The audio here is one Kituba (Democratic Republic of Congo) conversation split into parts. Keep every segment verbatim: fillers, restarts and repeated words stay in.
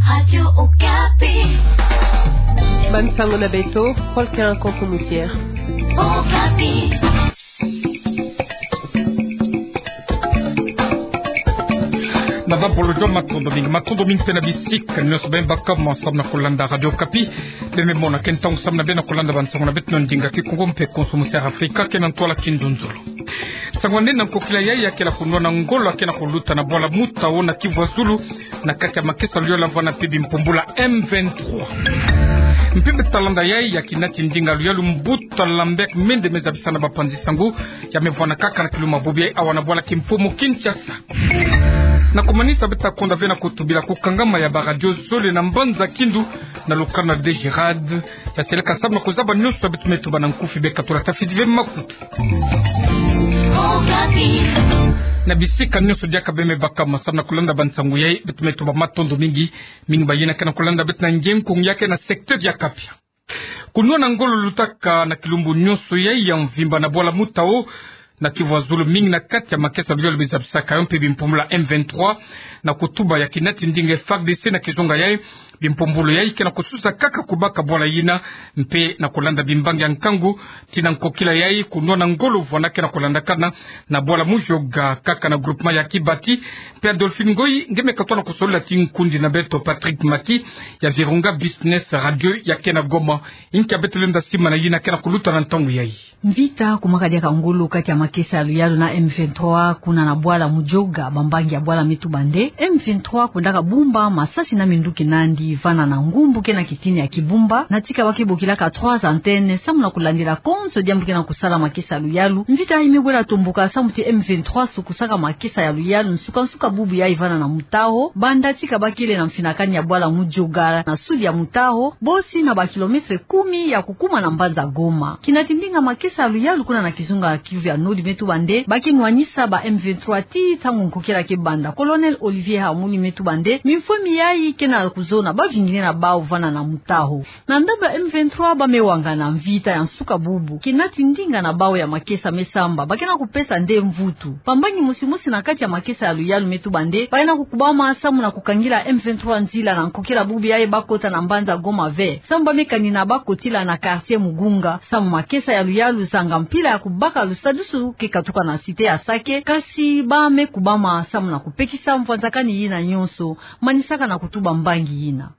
Radio Okapi. Bansango na beto, Paul Quentin Konso Moussière. Okapi. Na bambolo jo matondo mingi, matondo mingi mpe na bisika nyonso beno baka mo samu na kulanda Radio Okapi. Beno me mona ke ntangu samu na beno kulanda bansango na beto na ndinga Kikongo mpe Konso Moussière Afrika, ke na ntwala kinzonzolo. Nsangu nene na nkokila yayi ya kele kunwana ngolo ya kele kuluta na bwala Mutao na Kivu ya Zulu, na kati ya makesa luyalu vwanda mpe bimpumbulu ya M vingt-trois. Mpimpa talanda yayi ya kinati ndinga luyalu, mbuta Lambert Mende me zabisa na bapanzi sango, ya me vwanda kaka na kiluma bubu yayi awa na bwala Kimpumu Kinshasa. Na kumanisa beto ta konda ve na kutubila kukangama ya baradio zole na mbanza Kindu, na lukanu na Dégerad, ya seleka samu na kuzaba nyonso beto me tuba na nkufi, beka tula tafidi ve makutu. Na bisika nyonso diaka beno me baka mo samu na kulanda bansangu yayi, beto me tuba matondo mingi, mingi bayina ke na kulanda beto na nge nkunga ya ke na secteur ya Kapia. Kunwana ngolo lutaka na kilumbu nyonso yayi ya mvimba na bwala Mutao, na Kivu ya Zulu, mingi na kati ya makesa luyalu me zabisaka yo mpe bimpumbulu ya M vingt-trois, na kutuba ya kinati ndinga F A R D C na kizunga yayi, bimpumbulu yayi ke na kususa kaka kubaka bwala yina, mpe na kulanda bimbangi ya nkangu, tii na nkokila yayi kunwana ngolo vwanda ke na kulandakana na bwala Mudioga kaka na groupement ya Kibati. Mpe Adolphine Ngoyi nge me katuka na kusolola ti nkundi na beto Patrick Maki, ya Virunga Business Radio ya ke na Goma. Inki beto lenda simana yina ke na kuluta na ntangu yayi. Mvita kumwaka diaka ngolo kati ya makesa ya luyalu na M vingt-trois kuna na bwala Mudioga. Bambangi ya bwala me tuba nde M vingt-trois kwendaka bumba masasi na minduki nandi vana na ngumbu ke na kitini ya Kibumba, na tika ba ke bokilaka trois antennes samu na kulandila konso diambu ke na kusala makesa ya luyalu. Mvita yayi me bwela tomboka samu ti M vingt-trois sukusaka makesa ya luyalu nsuka-nsuka bubu yayi vana na Mutao, banda tika ba kele na mfinakani ya bwala Mudioga na sud ya Mutao, bosi na ba kilomètre kumi ya kukuma na mbanza Goma. Kinati ndinga makesa ya luyalu kuna na kizunga Kivu ya Nord me tuba nde ba ke nwanisa ba M vingt-trois tii ntangu nkokila ke banda. Colonel Olivier Hamuli me tuba nde mimfwemi yayi ke na kuzona bavingini na bawu vana na Mutao. Na ndambu ya M vingt-trois ba me wangana mvita ya nsuka bubu. Kinati ndinga na bawu ya makesa me samba, ba ke na kupesa nde mvutu. Bambangi mosi-mosi na kati ya makesa ya luyalu me tuba nde ba ke na kukubama samu na kukangila M vingt-trois nzila na nkokila bubu yayi ba kota na mbanza Goma ve. Samu ba me kanina ba kotila na quartier Mugunga, samu makesa ya luyalu zanga mpila ya kubaka lusadusu ke katuka na cité ya Sake, kasi ba me kubama samu na kupekisa mvwanzakani yina nyonso. Manisaka na kutuba mbangi yina.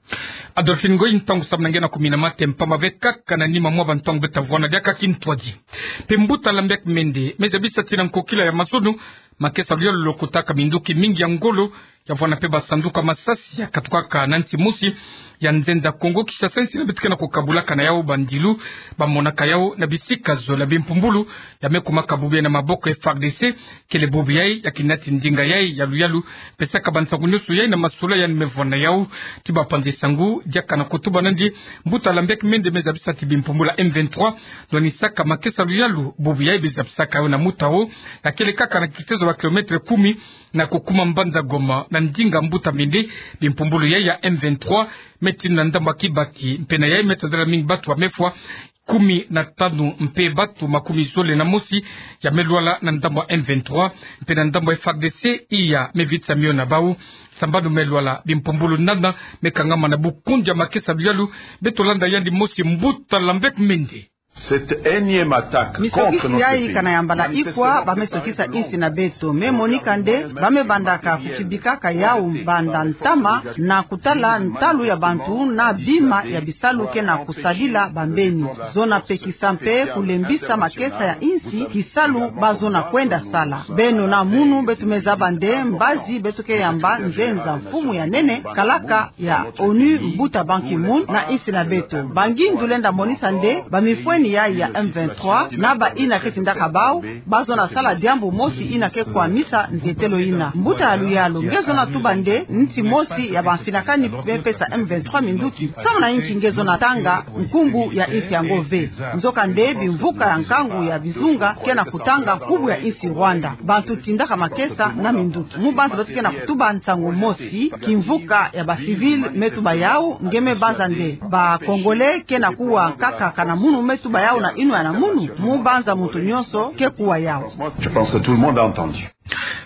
Adolphine Ngoyi, ntangu samu na nge na kumina mate mpamba ve kaka na nima mwa bantangu beto ta vwanda diaka kintwadi. Mpe mbuta Lambert Mende me zabisa ti na nkokila ya mazono, makesa luyalu lokotaka minduki mingi ya ngolo, ya vwanda mpe basanduku ya masasi ya katukaka na nsi mosi ya nzenza Kongo Kinshasa, nsi yina beto ke na kukabulaka na yawu bandilu, ba monaka yawu na bisika zole. Bimpumbulu ya me kumaka bubu yayi na maboko ya F A R D C, kele bubu yayi ya kinati ndinga yayi ya luyalu pesaka bansangu nyonso yayi na masolo yandi me vwanda na yawu. Tii bapanzi sango diaka na kutuba nandi, mbuta Lambert Mende me zabisa ti bimpumbulu ya M vingt-trois nwanisaka makesa luyalu bubu yayi be zabisaka yo na Mutao, ya kele kaka na kitezo ba kilomètre kumi na kukuma mbanza Goma. Na ndinga mbuta Mende, bimpumbulu yayi ya M vingt-trois me tinda na ndambu ya Kibati, mpe na yayi me tadala mingi bantu ba me fwa, kumi na tanu, mpe bantu makumi zole na mosi ya me lwala na ndambu ya M vingt-trois, mpe na ndambu ya F A R D C iya me vitisa mio na bawu. Sambanu me lwala, bimpumbulu nana me kangama na bukundia makesa luyalu? Beto landa yandi mosi, mbuta Lambert Mende. Cette énième attaque contre notre pays. Misokisi yayi kana ya mbala ikwa ba me sokisa insi na beto. Me monika nde ba me bandaka kukibikaka yawu banda ntama na kutala ntalu ya bantu na bima ya bisalu ke na kusadila bambeni. Zona pekisa mpe kulembisa makesa ya insi, kisalu ba zona kwenda sala. Beno na munu beto me zaba nde mbazi beto ke yamba nzenza mfumu ya nene kalaka ya ONU, mbuta Ban Ki-moon, na insi na beto. Ba ngindu lenda monisa nde bamifweni yayi ya M vingt-trois na bayina ke tindaka bawu, ba zona sala diambu mosi yina ke kwamisa nzietelo yina. Mbuta ya luyalu, nge zona tuba nde nsi mosi ya bamfinakani me pesa M vingt-trois minduki. Samu na inki nge zona tanga nkumbu ya insi yango ve? Nzoka nde bimvuka ya nkangu ya bizunga ke na kutanga nkumbu ya insi Rwanda. Bantu tindaka makesa na minduki. Mu banza beto ke na kutuba nsangu mosi, kimvuka ya ba civil me tuba yawu, nge me banza nde ba Congolais ke na kuwa nkaka kana munu me tuba yawu na yinwa ya munu? Mu banza muntu nyonso ke kuwa yawu. Je pense que tout le monde a entendu.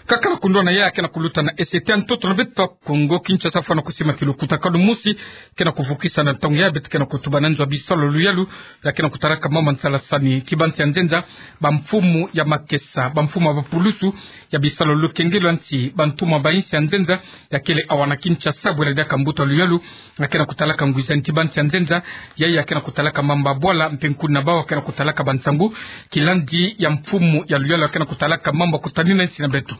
Kaka na kundona ya ke na kuluta na S T A ntoto na beto Kongo Kinshasa, fwana kusima kilukutakanu mosi ke na kuvukisa na ntangu ya beto ke na kutuba na nzo ya bisalu ya luyalu, ya ke na kutalaka mama nsalasani ti bansi ya nzenza, bamfumu ya makesa, bamfumu ya bapulusu ya bisalu ya lukengelo ya nsi, bantuma ba insi ya nzenza ya kele awa na Kinshasa, bwela diaka mbuta luyalu ya ke na kutalaka ngwizani ti bansi ya nzenza, ya ya ke na kutalaka mambu ya bwala, mpe nkuna bawu ya ke na kutalaka bansangu, kilandi ya mfumu ya luyalu ya ke na kutalaka mambu ya kutanina nsi na beto.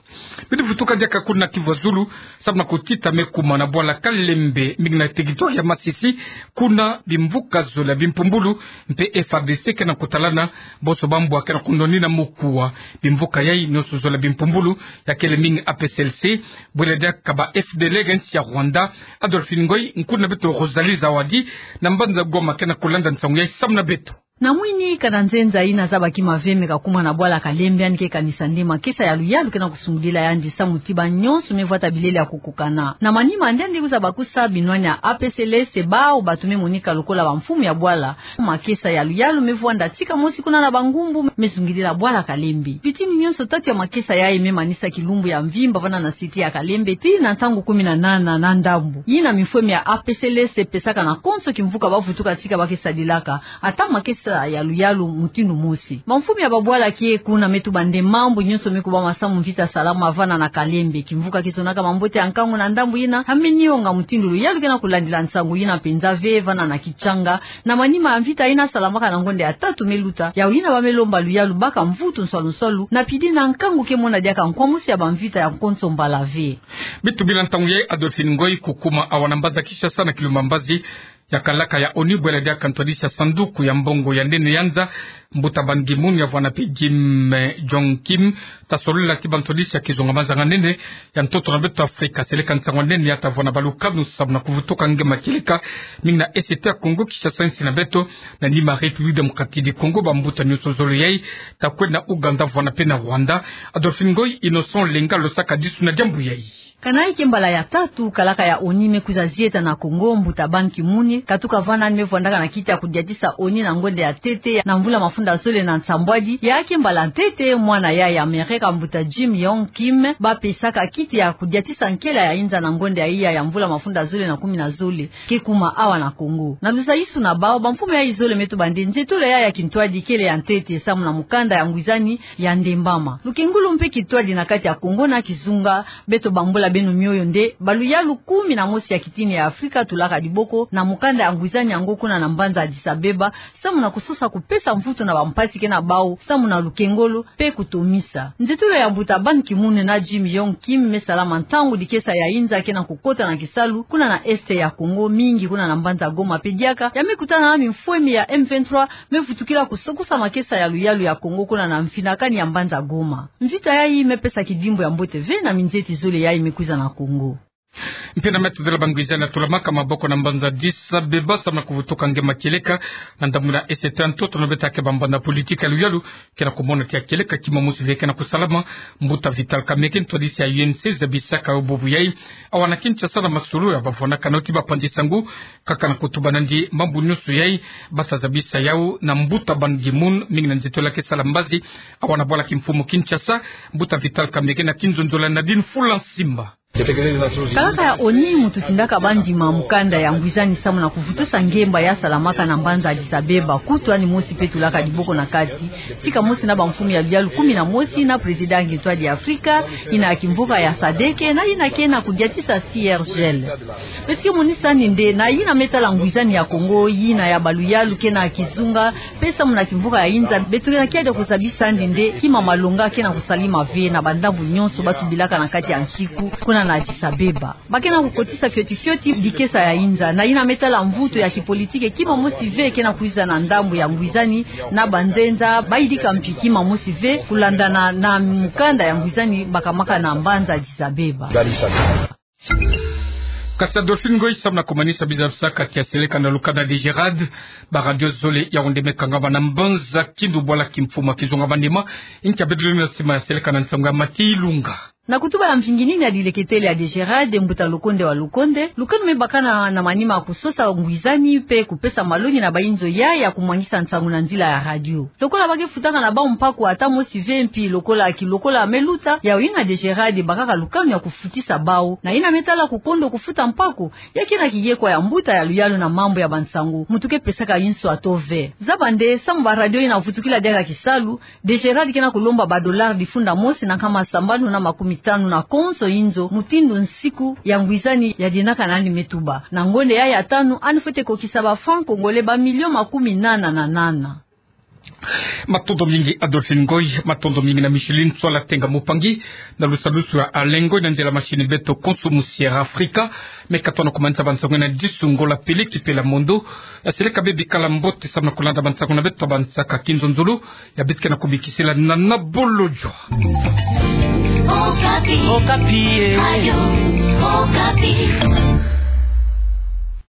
Beto vutuka diaka kuna Kivu ya Zulu, samu na kutita me kuma na bwala Kalembe, mingi na territoire ya Masisi, kuna bimvuka zole ya bimpumbulu, mpe F A R D C ke na kutalana, bonso bambwa ke na kundonina mokuwa. Bimvuka yayi nyonso zole ya bimpumbulu, ya kele mingi A P C L C, bwela diaka ba F D L R ya nsi ya Rwanda. Adolphine Ngoy, nkuna beto Rosalie Zawadi, na mbanza Goma ke na kulanda nsangu yayi samu na beto. Na mwini kana nzenza yina zabaki maveme ka kuma na bwala Kalembe, yandi ke kanisa nde makesa ya luyalu ke na kusungidila yandi samu ti banyonso me vwata bilele ya kukukana. Na manima nde yandi kwiza bakusa binwani ya A P C L C, bawu bato me monika lokola bamfumu ya bwala. Makesa ya luyalu me vwanda tika mosi kuna na bangumbu me sungidila bwala Kalembe. Bitini nyonso tatu ya makesa yayi me manisa kilumbu ya mvimba vana na site ya Kalembe, tii na ntangu kumi na nana na ndambu. Yina mifwemi ya A P C L C pesaka na konso kimvuka ba vutuka tika ba ke sadilaka ata makesa ya luyalu mutindu mosi. Bamfumu ya babwala ke kuna me tuba nde mambu nyonso me kubama samu mvita salama vana na Kalembe. Kimvuka ke zonaka mambote ya nkangu na ndambu yina, ya me nionga mutindu luyalu ke na kulandila nsangu yina mpenza ve vana na Kitshanga, na manima ya mvita yina salamaka na ngonda ya tatu me luta, yawu yina ba me lomba luyalu baka mvutu nswalu nswalu, na pidi na nkangu ke mona diaka nkwa mosi ya bamvita ya konso mbala ve. Beto bila ntangu yayi, Adolphine Ngoy, kukuma awa na mbanza Kinshasa na kilumbu ya mbazi ya kalaka ya ONU, bwela diaka ntwadisi ya sanduku ya mbongo ya nene ya nza, mbuta Ban Ki-moon, ya vwanda mpe Jim, eh, Yong Kim, ta solola ti bantwadisi ya kizunga mazanga nene ya ntoto na beto Afrika. Seleka nsangu ya nene ya ta vwanda balukanu samu na kuvutuka nge ma kieleka, mingi na S T A Kongo Kinshasa, nsi na beto, na nima République Démocratique du Congo, bambuta nyonso zole yayi ta kwenda Ouganda, vwanda mpe na Rwanda. Adolphine Ngoy, Innocent Lenga, lo sakadisu na diambu yayi. Kana yi ke mbala ya tatu kalaka ya ONU me kwiza zieta na Kongo. Mbuta Ban Ki-moon, katuka vana, yandi me vwandaka na kiti ya kudiatisa ONU na ngonda ya ntete na mvula mafunda zole na nsambwadi. Ya ke mbala ntete mwana yayi ya Amerika, mbuta Jim Yong Kim, ba pesaka kiti ya kudiatisa nkela ya inza na ngonda ya iya ya mvula mafunda zole na kumi na zole, ke kuma awa na Kongo. Na luzaisu na bawu, bamfumu yayi zole me tuba nde nzietolo yayi ya kintwadi kele ya ntete samu na mukanda ya ngwizani ya ndembama. Lukengulu mpe kintwadi na kati ya Kongo na kizunga. Beto bambula beno mioyo nde baluyalu kumi na mosi ya kitini ya Afrika tulaka diboko na mukanda ya ngwizani yango kuna na mbanza Addis Abeba, samu na kusosa kupesa mvutu na bampasi ke na bawu samu na lukengolo mpe kutomisa. Nzietolo ya mbuta Ban Ki-moon na Jim Yong Kim me salama ntangu dikesa ya inza ke na kukota na kisalu kuna na Est ya Kongo, mingi kuna na mbanza Goma mpe diaka ya me kutana na mimfwemi ya M vingt-trois me vutukila kusokusa makesa ya luyalu ya Kongo kuna na mfinakani ya mbanza Goma. Mvita yayi me pesa kidimbu ya mbote ve na minzieti zole yayi me kwiza na Kongo. Mpe na meta zole bangwizani ya tolamaka maboko na mbanza Addis Abeba samu na kuvutuka nge ma kieleka na ndambu na Est ya ntoto na beto, ya ke bambanza politiki ya luyalu ke na kumona ti ya kieleka kima mosi ve ke na kusalama. Mbuta Vital Kamerhe, ntwadisi ya U N C, zabisaka yo bubu yayi awa na Kinshasa na masolo ya bavwanakano ti bapanzi nsangu, kaka na kutuba nandi mambu nyonso yayi ba ta zabisa yawu na mbuta Ban Ki-moon, mingi na nzietolo ya ke sala mbazi awa na bwala kimfumu Kinshasa. Mbuta Vital Kamerhe na kinzonzolo ya Nadine Fula Nsimba. Kalaka ya ONU mu tutindaka bandima mukanda ya ngwizani samu na kuvutusa ngemba ya salamaka na mbanza Addis Abeba. Kutu yandi mosi mpe tulaka diboko na kati, tika mosi na bamfumu ya luyalu kumi na mosi, na président ya kintwadi ya Afrika, yina ya kimvuka ya sadeke, na yina ke na kudiatisa C R G L. Beto ke monisa nde na yina me tala ngwizani ya Kongo, yina ya baluyalu ke na kizunga, mpe samu na kimvuka ya inza, beto ke na kiadi ya kuzabisa nde kima malonga ke na kusalama ve na bandambu nyonso ba tubilaka na kati ya nsiku kuna na Addis Abeba. Ba ke na kukotisa fioti fioti dikesa ya inza. Na yina me tala mvutu ya kipolitiki, kima mosi ve ke na kwiza na ndambu ya ngwizani na banzenza, ba yidika mpi kima mosi ve kulandana na mukanda ya ngwizani bakamaka na mbanza Addis Abeba. Kasi Adolphine Ngoy, samu na kumanisa, biza bisaka kia seleka na lukanda de Gerard, ba radio zole ya onde me kangama na mbanza Kindu, bwala kimfumu ya kizunga manima, nkia beto lenda sima ya seleka na nsangu ya Mathieu Ilunga. Na kutuba ya mvingi nini ya dileketele ya DGRAD, mbuta Lokonde wa Lokonde, lukanu me bakana na manima ya kusosa ngwizani pe kupesa malongi na bainzo ya ya kumwangisa nsangu na nzila ya radio. Lokola ba ke futaka na bau mpaku ata mosi ve mpi lokola ki lokola me luta, yau yina DGRAD bakaka lukanu ya kufutisa bau. Na yina me tala kukondo kufuta mpaku, ya kena kiyekwa ya mbuta ya luyalu na mambu ya bansangu, mutu ke pesaka inso ato ve. Zaba nde, samu ba radio yina vutukila diaka kisalu, DGRAD kena kulomba ba dollars difunda mosi na nkama sambanu na makumi tanu na konso inzo, mutindu nsiku ya ngwizani ya dinaka nani me tuba. Na ngonde ya ya tanu, ani fwete kokisa ba francs congolais ba millions makumi nana na nana. Matondo mingi Adolphine Ngoy, matondo mingi na Micheline Tswala Tenga Mupangi, na lusalusu ya Alain Ngoy, na ndela machine beto konso musi ya Afrika. Me ka tona kumanisa bansangu na disu, ngola pele ki pela mondo. Ya seleka bê bikala mbote samu na kulanda bansangu na beto, bansaka kinzonzolo, ya bitika na kubikisela na na bolojo. Okapi. Okapi, eh. Radio Okapi.